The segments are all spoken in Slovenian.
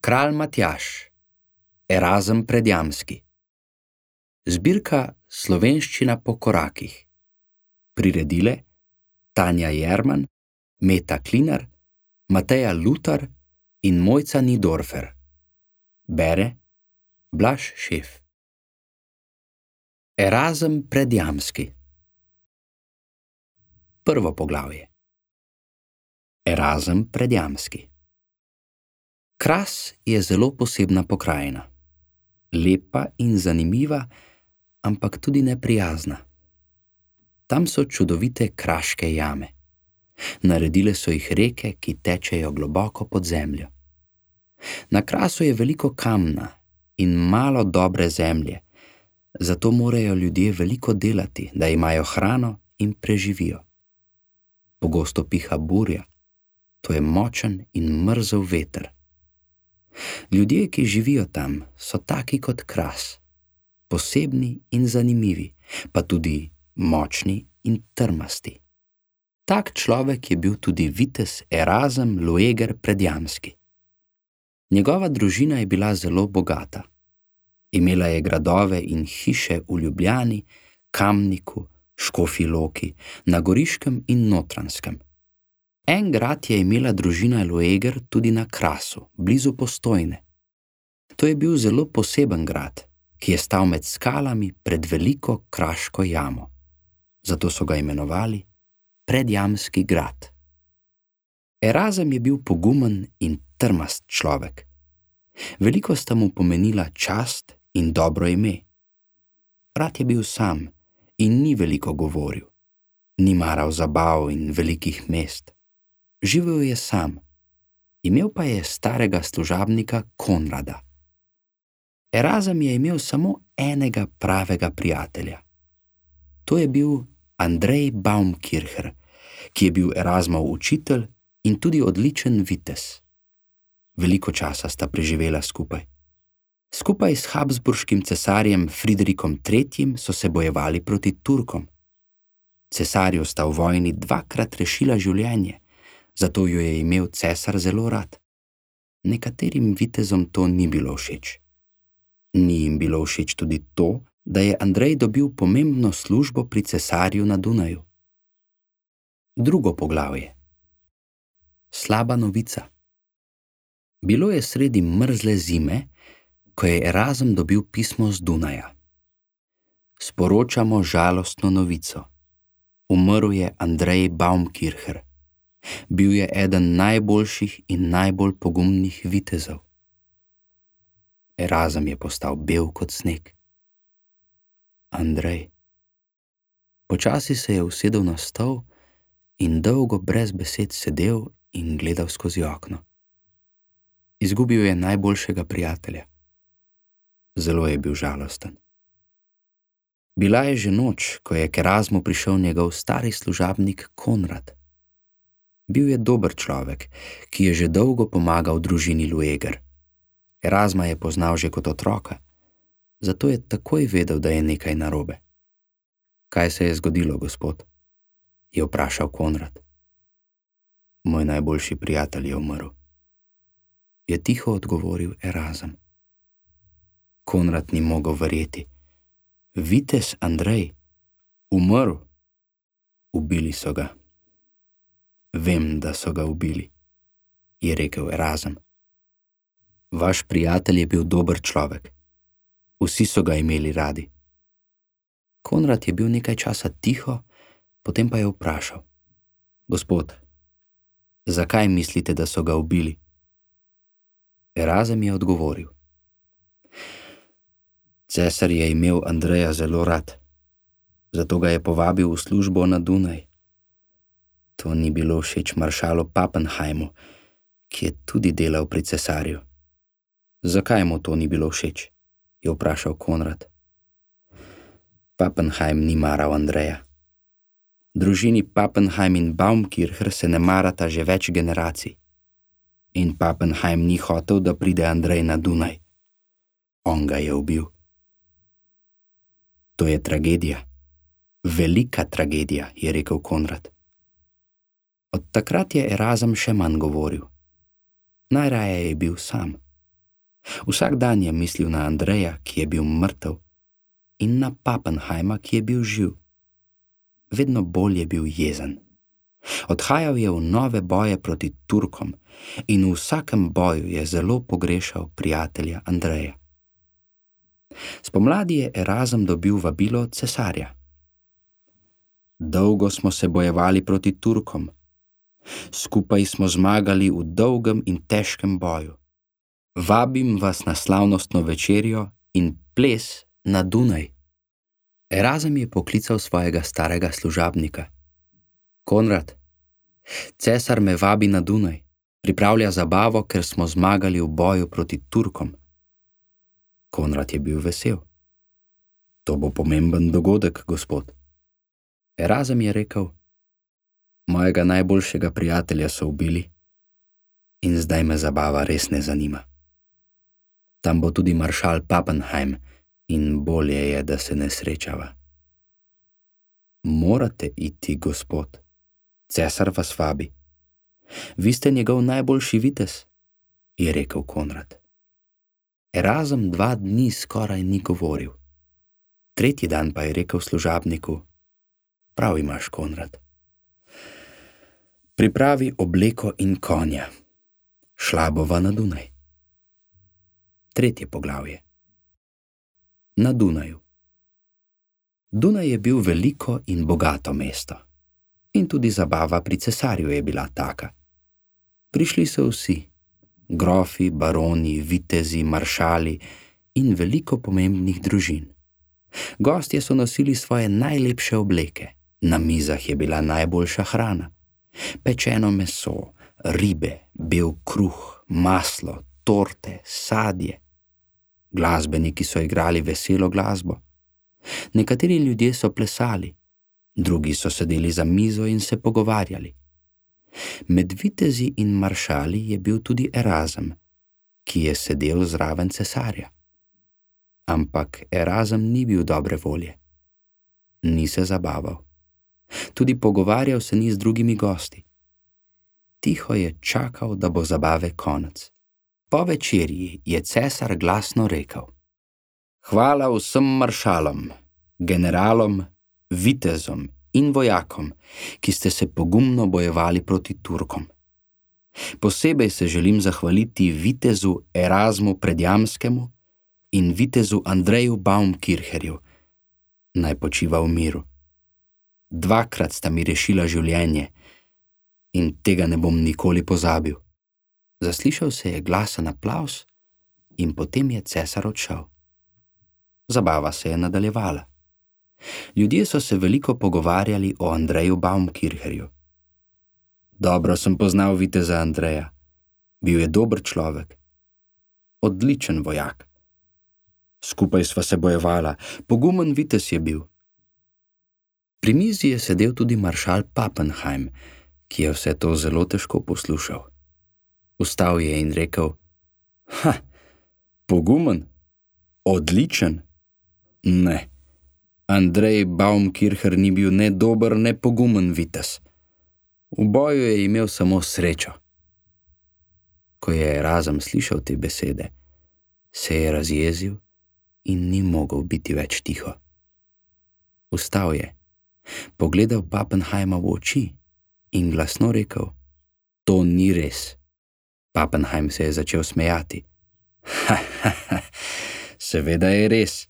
Kralj Matjaž, Erazem Predjamski. Zbirka Slovenščina po korakih. Priredile Tanja Jerman, Meta Klinar, Mateja Lutar in Mojca Nidorfer. Bere Blaž Šef. Erazem Predjamski. Prvo poglavje. Erazem Predjamski. Kras je zelo posebna pokrajina. Lepa in zanimiva, ampak tudi neprijazna. Tam so čudovite kraške jame. Naredile so jih reke, ki tečejo globoko pod zemljo. Na Krasu je veliko kamna in malo dobre zemlje, zato morajo ljudje veliko delati, da imajo hrano in preživijo. Pogosto piha burja, to je močen in mrzel veter. Ljudje, ki živijo tam, so taki kot Kras, posebni in zanimivi, pa tudi močni in trmasti. Tak človek je bil tudi vitez Erazem Lueger Predjamski. Njegova družina je bila zelo bogata. Imela je gradove in hiše v Ljubljani, Kamniku, Škofji Loki, na Goriškem in Notranjskem. En grad je imela družina Lueger tudi na Krasu, blizu Postojne. To je bil zelo poseben grad, ki je stal med skalami pred veliko kraško jamo. Zato so ga imenovali Predjamski grad. Erazem je bil pogumen in trmast človek. Veliko sta mu pomenila čast in dobro ime. Rad je bil sam in ni veliko govoril. Ni maral zabav in velikih mest. Živel je sam. Imel pa je starega služabnika Konrada. Erazem je imel samo enega pravega prijatelja. To je bil Andrej Baumkircher, ki je bil Erazmov učitelj in tudi odličen vitez. Veliko časa sta preživela skupaj. Skupaj s habsburškim cesarjem Fridericom III. So se bojevali proti Turkom. Cesarju sta v vojni dvakrat rešila življenje, zato jo je imel cesar zelo rad. Nekaterim vitezom to ni bilo všeč. Ni jim bilo všeč tudi to, da je Andrej dobil pomembno službo pri cesarju na Dunaju. Drugo poglavje. Slaba novica. Bilo je sredi mrzle zime, ko je Erazem dobil pismo z Dunaja. Sporočamo žalostno novico. Umrl je Andrej Baumkircher. Bil je eden najboljših in najbolj pogumnih vitezov. Erazem je postal bel kot sneg. Andrej. Počasi se je usedel na stol in dolgo brez besed sedel in gledal skozi okno. Izgubil je najboljšega prijatelja. Zelo je bil žalosten. Bila je že noč, ko je k Erazmu prišel njegov stari služabnik Konrad. Bil je dober človek, ki je že dolgo pomagal družini Lueger. Erazma je poznal že kot otroka, zato je takoj vedel, da je nekaj narobe. Kaj se je zgodilo, gospod? Je vprašal Konrad. Moj najboljši prijatelj je umrl, je tiho odgovoril Erazem. Konrad ni mogel verjeti. Vitez Andrej, umrl? Ubili so ga. Vem, da so ga ubili, je rekel Erazem. Vaš prijatelj je bil dober človek. Vsi so ga imeli radi. Konrad je bil nekaj časa tiho, potem pa je vprašal. Gospod, zakaj mislite, da so ga ubili? Erazem je odgovoril. Cesar je imel Andreja zelo rad, zato ga je povabil v službo na Dunaj. To ni bilo všeč maršalu Pappenheimu, ki je tudi delal pri cesarju. Zakaj mu to ni bilo všeč? Je vprašal Konrad. Pappenheim ni maral Andreja. Družini Pappenheim in Baumkircher se ne marata že več generacij. In Pappenheim ni hotel, da pride Andrej na Dunaj. On ga je ubil. To je tragedija. Velika tragedija, je rekel Konrad. Od takrat je Erazem še manj govoril. Najraje je bil sam. Vsak dan je mislil na Andreja, ki je bil mrtev, in na Pappenheima, ki je bil živ. Vedno bolj je bil jezen. Odhajal je v nove boje proti Turkom in v vsakem boju je zelo pogrešal prijatelja Andreja. Spomladi je Erazem dobil vabilo od cesarja. Dolgo smo se bojevali proti Turkom. Skupaj smo zmagali v dolgem in težkem boju. Vabim vas na slavnostno večerjo in ples na Dunaj. Erazem je poklical svojega starega služabnika. Konrad, cesar me vabi na Dunaj, pripravlja zabavo, ker smo zmagali v boju proti Turkom. Konrad je bil vesel. To bo pomemben dogodek, gospod. Erazem je rekel, mojega najboljšega prijatelja so ubili in zdaj me zabava res ne zanima. Tam bo tudi maršal Pappenheim in bolje je, da se ne srečava. Morate iti, gospod. Cesar vas vabi. Vi ste njegov najboljši vitez, je rekel Konrad. Erazem 2 dni skoraj ni govoril. Tretji dan pa je rekel služabniku, prav imaš, Konrad. Pripravi obleko in konja. Šla bova na Dunaj. 3. poglavje. Na Dunaju. Dunaj je bil veliko in bogato mesto. In tudi zabava pri cesarju je bila taka. Prišli so vsi, grofi, baroni, vitezi, maršali in veliko pomembnih družin. Gostje so nosili svoje najlepše obleke, na mizah je bila najboljša hrana, pečeno meso, ribe, bel kruh, maslo, torte, sadje. Glasbeniki so igrali veselo glasbo. Nekateri ljudje so plesali, drugi so sedeli za mizo in se pogovarjali. Med vitezi in maršali je bil tudi Erazem, ki je sedel zraven cesarja. Ampak Erazem ni bil dobre volje. Ni se zabaval. Tudi pogovarjal se ni z drugimi gosti. Tiho je čakal, da bo zabave konec. Po večerji je cesar glasno rekel: Hvala vsem maršalom, generalom, vitezom in vojakom, ki ste se pogumno bojevali proti Turkom. Posebej se želim zahvaliti vitezu Erazmu Predjamskemu in vitezu Andreju Baumkircherju. Naj počiva v miru. 2-krat sta mi rešila življenje in tega ne bom nikoli pozabil. Zaslišal se je glasen aplavz in potem je cesar odšel. Zabava se je nadaljevala. Ljudje so se veliko pogovarjali o Andreju Baumkircherju. Dobro sem poznal viteza Andreja. Bil je dober človek. Odličen vojak. Skupaj sva se bojevala, pogumen vitez je bil. Pri mizi je sedel tudi maršal Pappenheim, ki je vse to zelo težko poslušal. Vstal je in rekel: Pogumen? Odličen? Ne. Andrej Baumkircher ni bil ne dober, ne pogumen vitez. V boju je imel samo srečo. Ko je Erazem slišal te besede, se je razjezil in ni mogel biti več tiho. Vstal je, pogledal Pappenheima v oči in glasno rekel: To ni res. Pappenheim se je začel smejati. Seveda je res.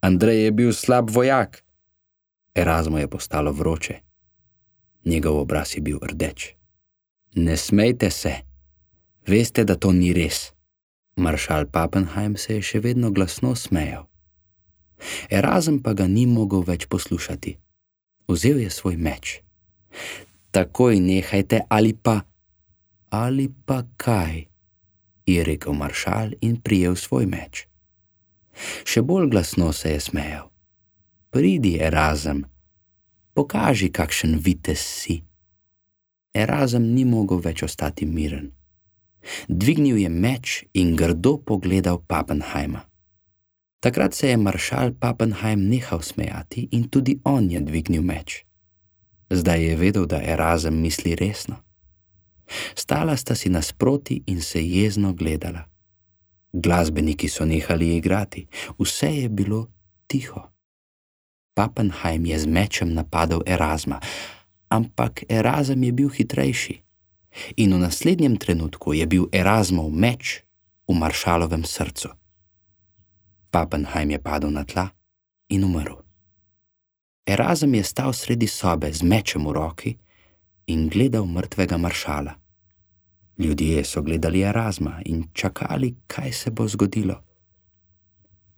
Andrej je bil slab vojak. Erazmu je postalo vroče. Njegov obraz je bil rdeč. Ne smejte se. Veste, da to ni res. Maršal Pappenheim se je še vedno glasno smejal. Erazem pa ga ni mogel več poslušati. Vzel je svoj meč. Takoj nehajte ali pa kaj, je rekel maršal in prijel svoj meč. Še bolj glasno se je smejal. Pridi, Erazem, pokaži, kakšen vitez si. Erazem ni mogel več ostati miren. Dvignil je meč in grdo pogledal Pappenheima. Takrat se je maršal Pappenheim nehal smejati in tudi on je dvignil meč. Zdaj je vedel, da Erazem misli resno. Stala sta si nasproti in se jezno gledala. Glasbeniki so nehali igrati, vse je bilo tiho. Pappenheim je z mečem napadel Erasma, ampak Erasm je bil hitrejši in v naslednjem trenutku je bil Erasmov meč v maršalovem srcu. Pappenheim je padel na tla in umrl. Erasm je stal sredi sobe z mečem v roki in gledal mrtvega maršala. Ljudje so gledali Erasma in čakali, kaj se bo zgodilo.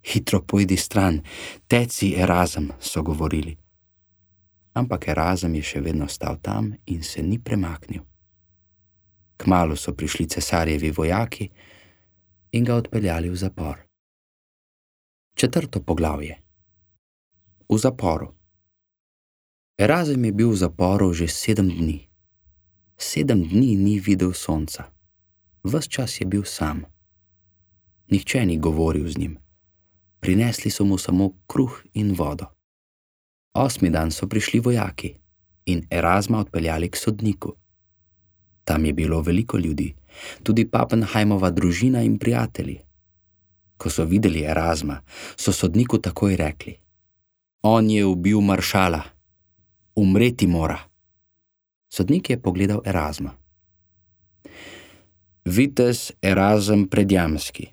Hitro pojdi stran, teci Erasm, so govorili. Ampak Erasm je še vedno stal tam in se ni premaknil. Kmalu so prišli cesarjevi vojaki in ga odpeljali v zapor. 4. poglavje. V zaporu. Erasm je bil v zaporu že 7 dni. 7 dni ni videl sonca. Ves čas je bil sam. Nihče ni govoril z njim. Prinesli so mu samo kruh in vodo. 8. dan so prišli vojaki in Erasma odpeljali k sodniku. Tam je bilo veliko ljudi, tudi Pappenheimova družina in prijatelji. Ko so videli Erasma, so sodniku takoj rekli: On je ubil maršala. Umreti mora. Sodnik je pogledal Erasma. Vitez Erasm Predjamski,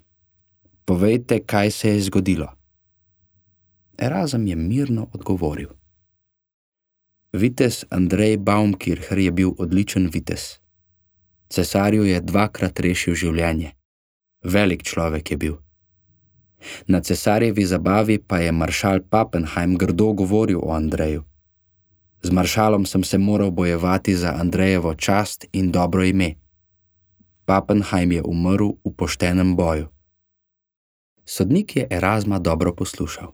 povejte, kaj se je zgodilo. Erasm je mirno odgovoril. Vitez Andrej Baumkircher je bil odličen vitez. Cesarju je 2-krat rešil življenje. Velik človek je bil. Na cesarjevi zabavi pa je maršal Pappenheim grdo govoril o Andreju. Z maršalom sem se moral bojevati za Andrejevo čast in dobro ime. Pappenheim je umrl v poštenem boju. Sodnik je Erasma dobro poslušal.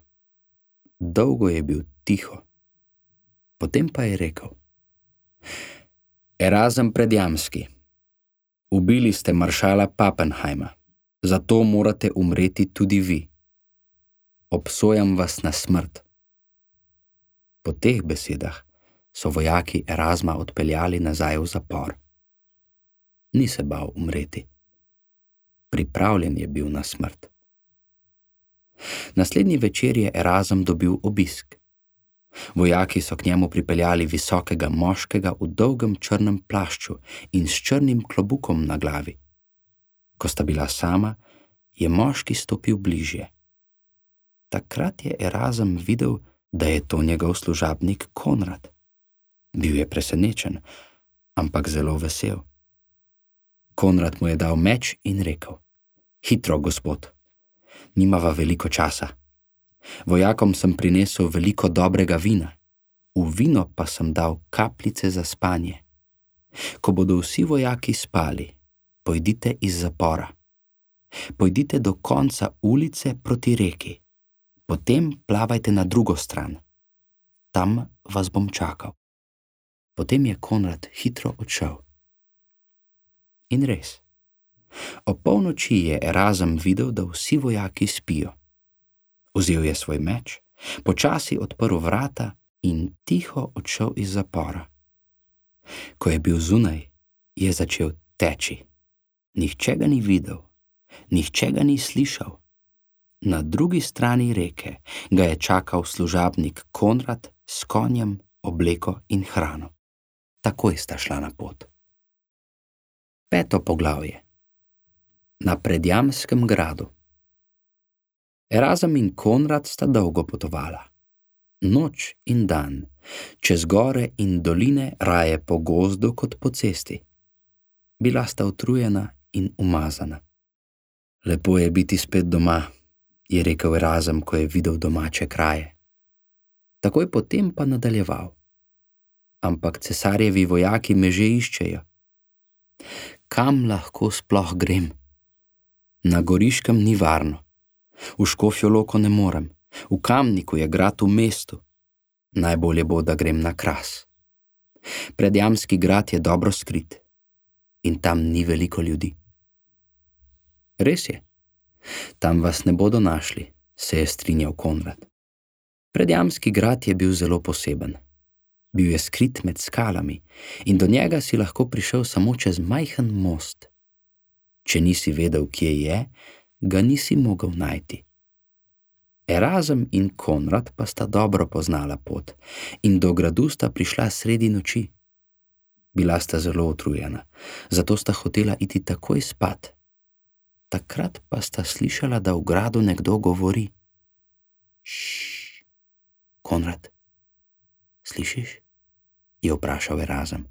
Dolgo je bil tiho. Potem pa je rekel: Erasm Predjamski, ubili ste maršala Pappenheima, zato morate umreti tudi vi. Obsojam vas na smrt. Po teh besedah so vojaki Erasma odpeljali nazaj v zapor. Ni se bal umreti. Pripravljen je bil na smrt. Naslednji večer je Erasm dobil obisk. Vojaki so k njemu pripeljali visokega moškega v dolgem črnem plašču in s črnim klobukom na glavi. Ko sta bila sama, je moški stopil bližje. Takrat je Erasm videl, da je to njegov služabnik Konrad. Bil je presenečen, ampak zelo vesel. Konrad mu je dal meč in rekel: Hitro, gospod, nimava veliko časa. Vojakom sem prinesel veliko dobrega vina, v vino pa sem dal kapljice za spanje. Ko bodo vsi vojaki spali, pojdite iz zapora. Pojdite do konca ulice proti reki, potem plavajte na drugo stran. Tam vas bom čakal. Potem je Konrad hitro odšel. In res, ob polnoči je Erasm videl, da vsi vojaki spijo. Vzel je svoj meč, počasi odprl vrata in tiho odšel iz zapora. Ko je bil zunaj, je začel teči. Nihče ga ni videl, nihče ga ni slišal. Na drugi strani reke ga je čakal služabnik Konrad s konjem, obleko in hrano. Takoj sta šla na pot. 5. poglavje. Na Predjamskem gradu. Erasm in Konrad sta dolgo potovala. Noč in dan, čez gore in doline, raje po gozdu kot po cesti. Bila sta utrujena in umazana. Lepo je biti spet doma, je rekel Erasm, ko je videl domače kraje. Takoj potem pa nadaljeval. Ampak cesarjevi vojaki me že iščejo. Kam lahko sploh grem? Na Goriškem ni varno. V Škofjo Loko ne morem. V Kamniku je grad v mestu. Najbolje bo, da grem na Kras. Predjamski grad je dobro skrit in tam ni veliko ljudi. Res je. Tam vas ne bodo našli, se je strinjal Konrad. Predjamski grad je bil zelo poseben. Bil je skrit med skalami in do njega si lahko prišel samo čez majhen most. Če nisi vedel, kje je, ga nisi mogel najti. Erazem in Konrad pa sta dobro poznala pot in do gradu sta prišla sredi noči. Bila sta zelo utrujena, zato sta hotela iti takoj spat. Takrat pa sta slišala, da v gradu nekdo govori. Šš, Konrad, slišiš? Je vprašal Erazem.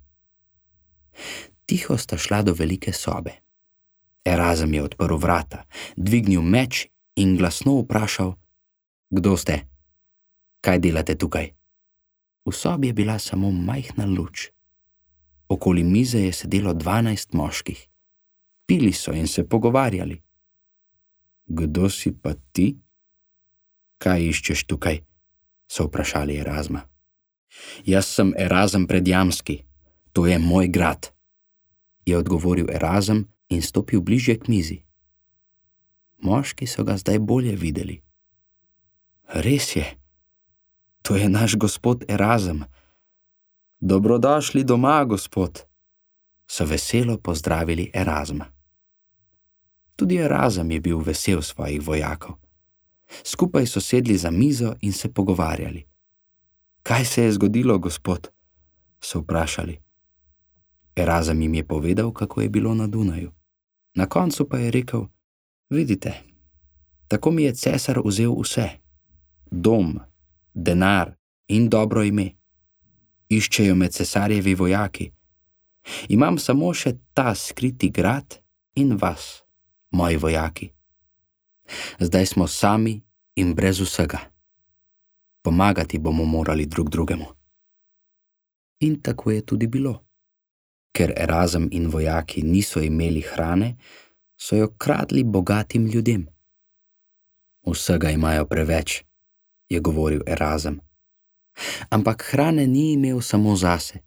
Tiho sta šla do velike sobe. Erazem je odprl vrata, dvignil meč in glasno vprašal: Kdo ste? Kaj delate tukaj? V sobi je bila samo majhna luč. Okoli mize je sedelo 12 moških. Pili so in se pogovarjali. Kdo si pa ti? Kaj iščeš tukaj? So vprašali Erazma. Jaz sem Erazem Predjamski, to je moj grad, je odgovoril Erazem in stopil bližje k mizi. Moški so ga zdaj bolje videli. Res je, to je naš gospod Erazem. Dobrodošli doma, gospod, so veselo pozdravili Erazma. Tudi Erazem je bil vesel svojih vojakov. Skupaj so sedli za mizo in se pogovarjali. Kaj se je zgodilo, gospod? So vprašali. Erazem jim je povedal, kako je bilo na Dunaju. Na koncu pa je rekel: Vidite, tako mi je cesar vzel vse. Dom, denar in dobro ime. Iščejo me cesarjevi vojaki. Imam samo še ta skriti grad in vas, moji vojaki. Zdaj smo sami in brez vsega. Pomagati bomo morali drug drugemu. In tako je tudi bilo. Ker Erazem in vojaki niso imeli hrane, so jo kradli bogatim ljudem. Vsega imajo preveč, je govoril Erazem. Ampak hrane ni imel samo zase.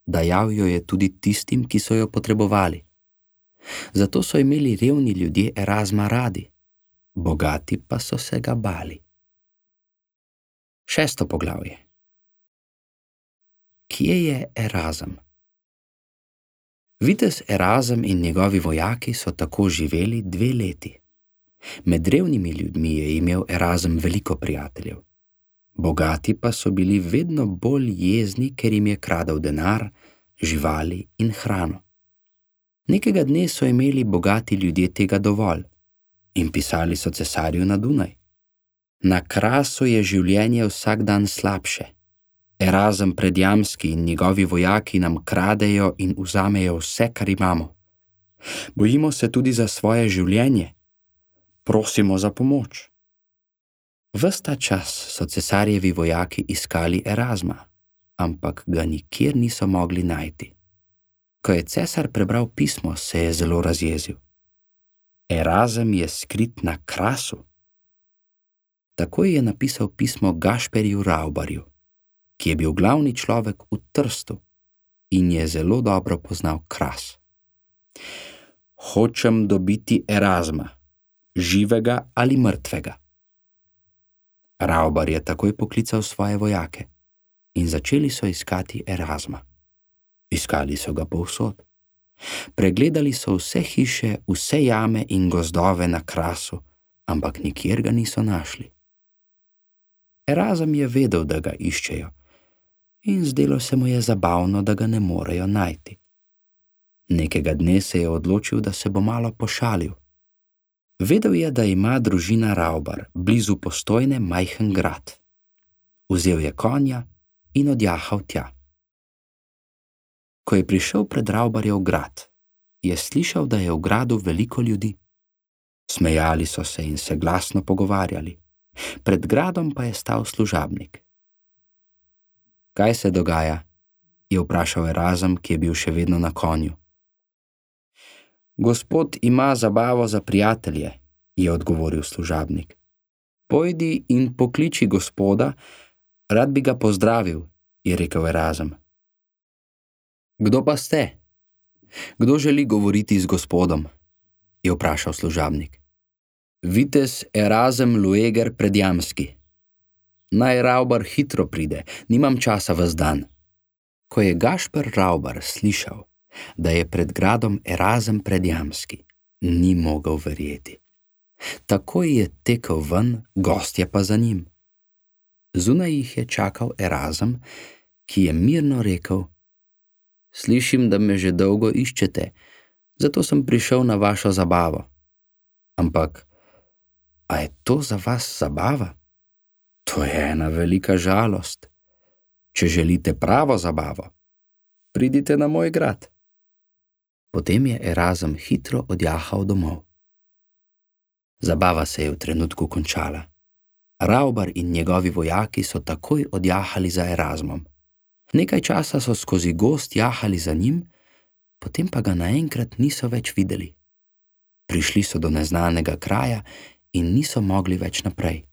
Dajal jo je tudi tistim, ki so jo potrebovali. Zato so imeli revni ljudje Erazma radi, bogati pa so se ga bali. 6. poglavje. Kje je Erazem? Vitez Erazem in njegovi vojaki so tako živeli 2 leti. Med revnimi ljudmi je imel Erazem veliko prijateljev. Bogati pa so bili vedno bolj jezni, ker jim je kradel denar, živali in hrano. Nekega dne so imeli bogati ljudje tega dovolj in pisali so cesarju na Dunaj. Na Krasu je življenje vsak dan slabše. Erazem Predjamski in njegovi vojaki nam kradejo in vzamejo vse, kar imamo. Bojimo se tudi za svoje življenje. Prosimo za pomoč. Ves ta čas so cesarjevi vojaki iskali Erazma, ampak ga nikjer niso mogli najti. Ko je cesar prebral pismo, se je zelo razjezil. Erazem je skrit na Krasu. Takoj je napisal pismo Gašperju Ravbarju, ki je bil glavni človek v Trstu in je zelo dobro poznal Kras. Hočem dobiti Erazma, živega ali mrtvega. Ravbar je takoj poklical svoje vojake in začeli so iskati Erazma. Iskali so ga povsod. Pregledali so vse hiše, vse jame in gozdove na Krasu, ampak nikjer ga niso našli. Erazem je vedel, da ga iščejo, in zdelo se mu je zabavno, da ga ne morejo najti. Nekega dne se je odločil, da se bo malo pošalil. Vedel je, da ima družina Ravbar blizu Postojne majhen grad. Vzel je konja in odjahal tja. Ko je prišel pred Ravbarjev grad, je slišal, da je v gradu veliko ljudi. Smejali so se in se glasno pogovarjali. Pred gradom pa je stal služabnik. Kaj se dogaja? Je vprašal Erazem, ki je bil še vedno na konju. Gospod ima zabavo za prijatelje, je odgovoril služabnik. Pojdi in pokliči gospoda, rad bi ga pozdravil, je rekel Erazem. Kdo pa ste? Kdo želi govoriti z gospodom? Je vprašal služabnik. Vitez Erazem Lueger Predjamski. Naj Ravbar hitro pride, nimam časa ves dan. Ko je Gašper Ravbar slišal, da je pred gradom Erazem Predjamski, ni mogel verjeti. Takoj je tekel ven, gostje pa za njim. Zunaj jih je čakal Erazem, ki je mirno rekel: Slišim, da me že dolgo iščete, zato sem prišel na vašo zabavo. Ampak, a je to za vas zabava? To je ena velika žalost. Če želite pravo zabavo, pridite na moj grad. Potem je Erazem hitro odjahal domov. Zabava se je v trenutku končala. Ravbar in njegovi vojaki so takoj odjahali za Erazmom. Nekaj časa so skozi gozd jahali za njim, potem pa ga naenkrat niso več videli. Prišli so do neznanega kraja in niso mogli več naprej.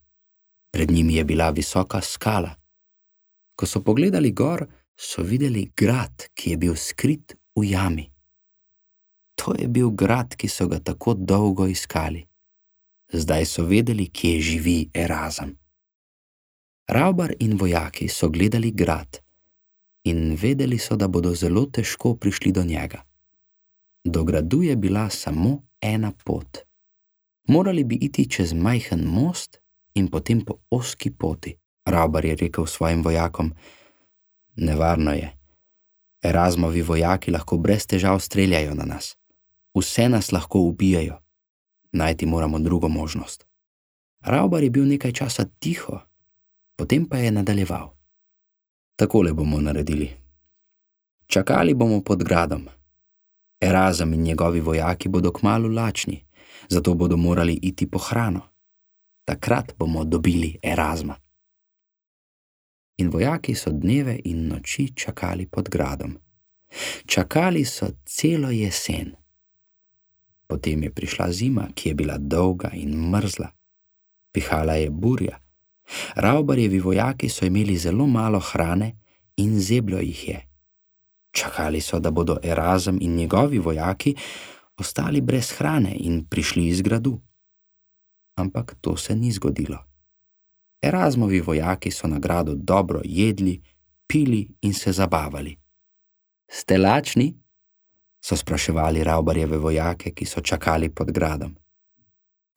Pred njimi je bila visoka skala. Ko so pogledali gor, so videli grad, ki je bil skrit v jami. To je bil grad, ki so ga tako dolgo iskali. Zdaj so vedeli, kje živi Erazem. Ravbar in vojaki so gledali grad in vedeli so, da bodo zelo težko prišli do njega. Do gradu je bila samo ena pot. Morali bi iti čez majhen most in potem po ozki poti. Ravbar je rekel svojim vojakom: Nevarno je. Erazmovi vojaki lahko brez težav streljajo na nas. Vse nas lahko ubijajo. Najti moramo drugo možnost. Ravbar je bil nekaj časa tiho, potem pa je nadaljeval. Takole bomo naredili. Čakali bomo pod gradom. Erazem in njegovi vojaki bodo kmalu lačni, zato bodo morali iti po hrano. Takrat bomo dobili Erazma. In vojaki so dneve in noči čakali pod gradom. Čakali so celo jesen. Potem je prišla zima, ki je bila dolga in mrzla. Pihala je burja. Ravbarjevi vojaki so imeli zelo malo hrane in zeblo jih je. Čakali so, da bodo Erazem in njegovi vojaki ostali brez hrane in prišli iz gradu. Ampak to se ni zgodilo. Erazmovi vojaki so na gradu dobro jedli, pili in se zabavali. Ste lačni? So spraševali Ravbarjeve vojake, ki so čakali pod gradom.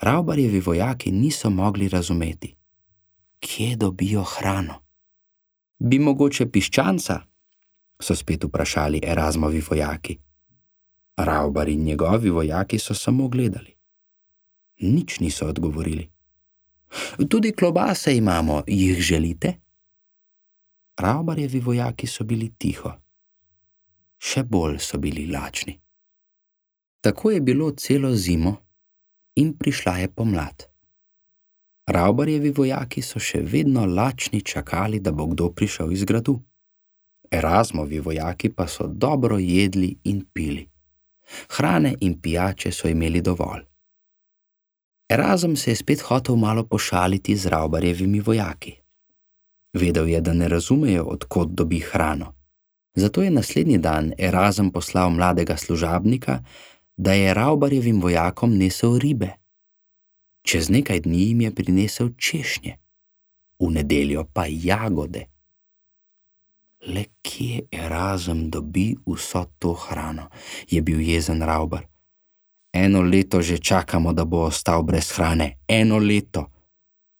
Ravbarjevi vojaki niso mogli razumeti, kje dobijo hrano. Bi mogoče piščanca? So spet vprašali Erazmovi vojaki. Ravbar in njegovi vojaki so samo gledali. Nič niso odgovorili. Tudi klobase imamo, jih želite? Ravbarjevi vojaki so bili tiho. Še bolj so bili lačni. Tako je bilo celo zimo in prišla je pomlad. Ravbarjevi vojaki so še vedno lačni čakali, da bo kdo prišel iz gradu. Erazmovi vojaki pa so dobro jedli in pili. Hrane in pijače so imeli dovolj. Erazem se je spet hotel malo pošaliti z Ravbarjevimi vojaki. Vedel je, da ne razumejo, od kod dobi hrano. Zato je naslednji dan Erazem poslal mladega služabnika, da je Ravbarjevim vojakom nesel ribe. Čez nekaj dni jim je prinesel češnje, v nedeljo pa jagode. Le kje Erazem dobi vso to hrano, je bil jezen Ravbar. 1 leto že čakamo, da bo ostal brez hrane, 1 leto.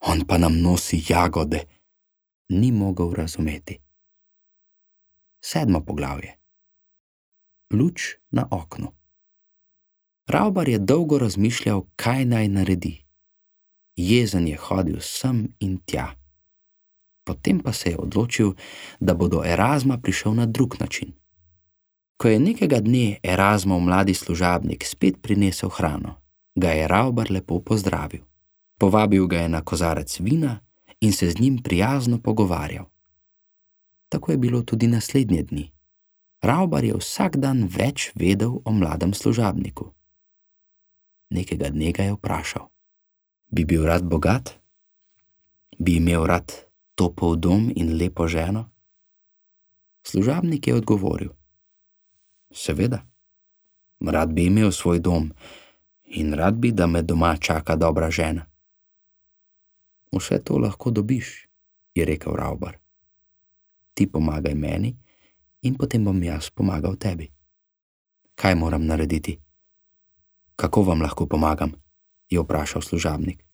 On pa nam nosi jagode. Ni mogel razumeti. 7. poglavje. Luč na oknu. Ravbar je dolgo razmišljal, kaj naj naredi. Jezen je hodil sem in tja. Potem pa se je odločil, da bo do Erazma prišel na drug način. Ko je nekega dne Erazmov mladi služabnik spet prinesel hrano, ga je Ravbar lepo pozdravil. Povabil ga je na kozarec vina in se z njim prijazno pogovarjal. Tako je bilo tudi naslednje dni. Ravbar je vsak dan več vedel o mladem služabniku. Nekega dne ga je vprašal: Bi bil rad bogat? Bi imel rad topel dom in lepo ženo? Služabnik je odgovoril: Seveda, rad bi imel svoj dom in rad bi, da me doma čaka dobra žena. Vse to lahko dobiš, je rekel Ravbar. Ti pomagaj meni in potem bom jaz pomagal tebi. Kaj moram narediti? Kako vam lahko pomagam? je vprašal služabnik.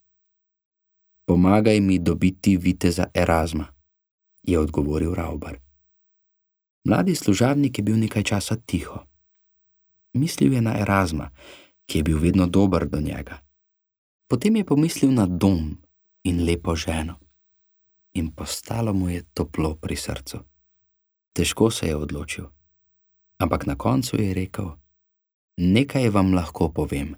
Pomagaj mi dobiti viteza Erazma, je odgovoril Ravbar. Mladi služabnik je bil nekaj časa tiho. Mislil je na Erazma, ki je bil vedno dober do njega. Potem je pomislil na dom in lepo ženo in postalo mu je toplo pri srcu. Težko se je odločil, ampak na koncu je rekel: nekaj vam lahko povem.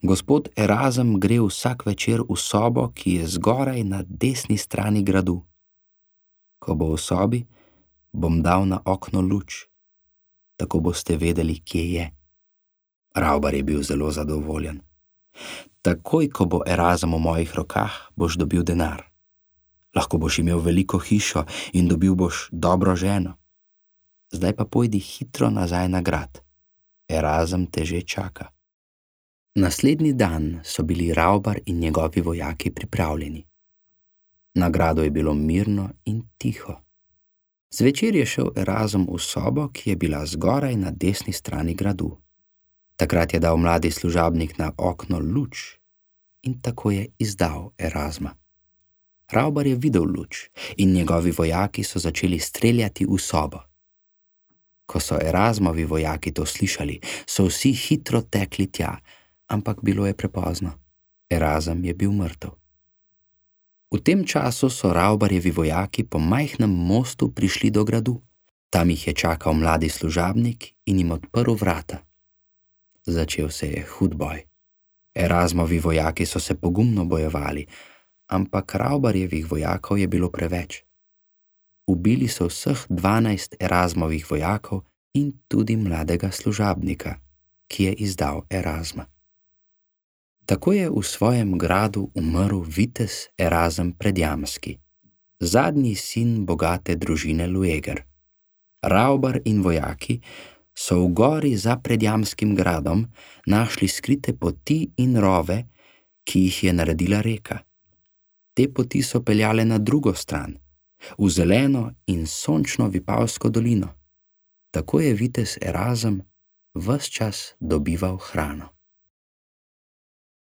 Gospod Erazem gre vsak večer v sobo, ki je zgoraj na desni strani gradu. Ko bo v sobi, bom dal na okno luč, tako boste vedeli, kje je. Ravbar je bil zelo zadovoljen. Takoj, ko bo Erazem v mojih rokah, boš dobil denar. Lahko boš imel veliko hišo in dobil boš dobro ženo. Zdaj pa pojdi hitro nazaj na grad. Erazem te že čaka. Naslednji dan so bili Ravbar in njegovi vojaki pripravljeni. Na gradu je bilo mirno in tiho. Zvečer je šel Erazem v sobo, ki je bila zgoraj na desni strani gradu. Takrat je dal mladi služabnik na okno luč in tako je izdal Erazma. Ravbar je videl luč in njegovi vojaki so začeli streljati v sobo. Ko so Erazmovi vojaki to slišali, so vsi hitro tekli tja, ampak bilo je prepozno. Erazem je bil mrtev. V tem času so Ravbarjevi vojaki po majhnem mostu prišli do gradu. Tam jih je čakal mladi služabnik in jim odprl vrata. Začel se je hud boj. Erazmovi vojaki so se pogumno bojevali, ampak Ravbarjevih vojakov je bilo preveč. Ubili so vseh 12 Erazmovih vojakov in tudi mladega služabnika, ki je izdal Erazma. Tako je v svojem gradu umrl vitez Erazem Predjamski, zadnji sin bogate družine Lueger. Ravbar in vojaki so v gori za Predjamskim gradom našli skrite poti in rove, ki jih je naredila reka. Te poti so peljale na drugo stran, v zeleno in sončno Vipavsko dolino. Tako je vitez Erazem ves čas dobival hrano.